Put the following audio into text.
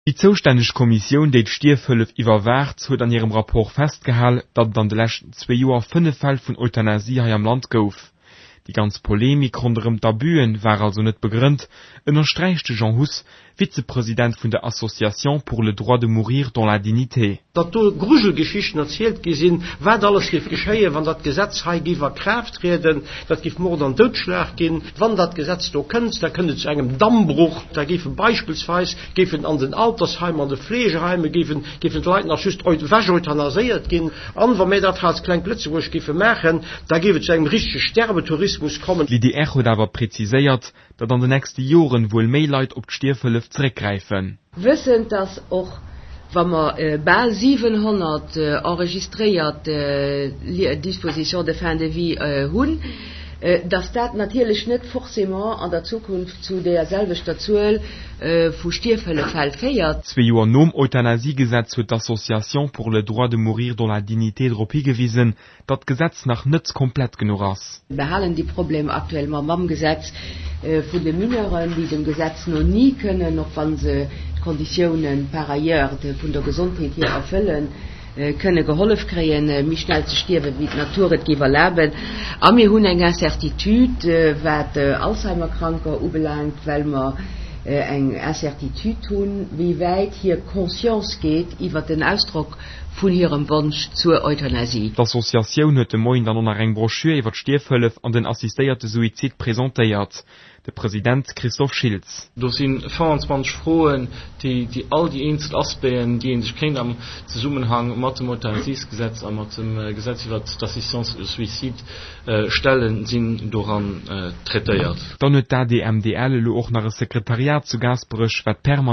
Déi zoustänneg Kommissioun, déi d'Stierfhëllef iwwerwaacht, huet an hirem Rapport festgehal, datt et an de leschten zwee Joer 5 Fäll vun Euthanasie hei am Land gouf. Déi ganz Polemik ronderëm d'Abüen war also net begrënnt, ënnersträicht de Jean Huss, Vizepresident vun der Association pour le droit de mourir dans la dignité. Datt do Grujelgeschichten erzielt gi sinn, wat alles géif geschéien, wann dat Gesetz hei géif a Kraaft trieden, dat géif Mord an Doudschlag ginn. Wann dat Gesetz do kënnt, da kënnt et zu engem Dammbruch, da géife beispillsweis géifen an den Altersheimer, an de Fleegeheime géifen géifen d'Leit nach just ewech-euthanasiert ginn. An wa mir dat hei als klengt Lëtzebuerg géife maachen, da géif et zu engem richtege Sterbetourismus kommen. L'IDR huet awer präziséiert, datt an de nächste Joren wuel méi Leit op d'Stierfhëllef zeréckgräifen. Wëssend, datt och wa mer bal 700 enregistréiert Dispositions de fin de vie hunn, datt dat natierlech net forcément an der Zukunft zu deeër selwechter Zuel vu Stierfhëlleffäll féiert. Zwee Joer nom Euthanasiegesetz huet d'Association pour le droit de mourir dans la dignité drop higewisen, datt d'Gesetz nach net komplett genuch ass. Mir halen déi Problemer aktuellement mam Gesetz vun de Mineuren, déi dem Gesetz no ni kënnen, och wa se d'Konditiounen par ailleurs vun der Gesondheet hier erfëllen, kënne gehollef kréien, méi schnell ze stierwen, wéi d'Natur et géif erlaben. A mir hunn eng Incertitude, wat Alzheimer-Kranker ubelaangt, well mer eng Incertitude hunn, wéi wäit hir Conscience geet iwwert den Ausdrock vun hirem Wonsch zur Euthanasie. D'Associatioun huet de Moien dann och nach eng Broschür iwwer d'Stierfhëllef an den assistéierte Suizid presentéiert. De President Christophe Schiltz. Do si 25 Froen, déi all déi eenzel Aspecten, déi ee sech kéint am Zesummenhang mat dem Euthanasiesgesetz a mat dem Gesetz iwwert d'Assistance au suicide stellen, sinn doran traitéiert. Dann huet d'ADMDL elo och nach e Sekretariat zu Gaasperech, wat permanent.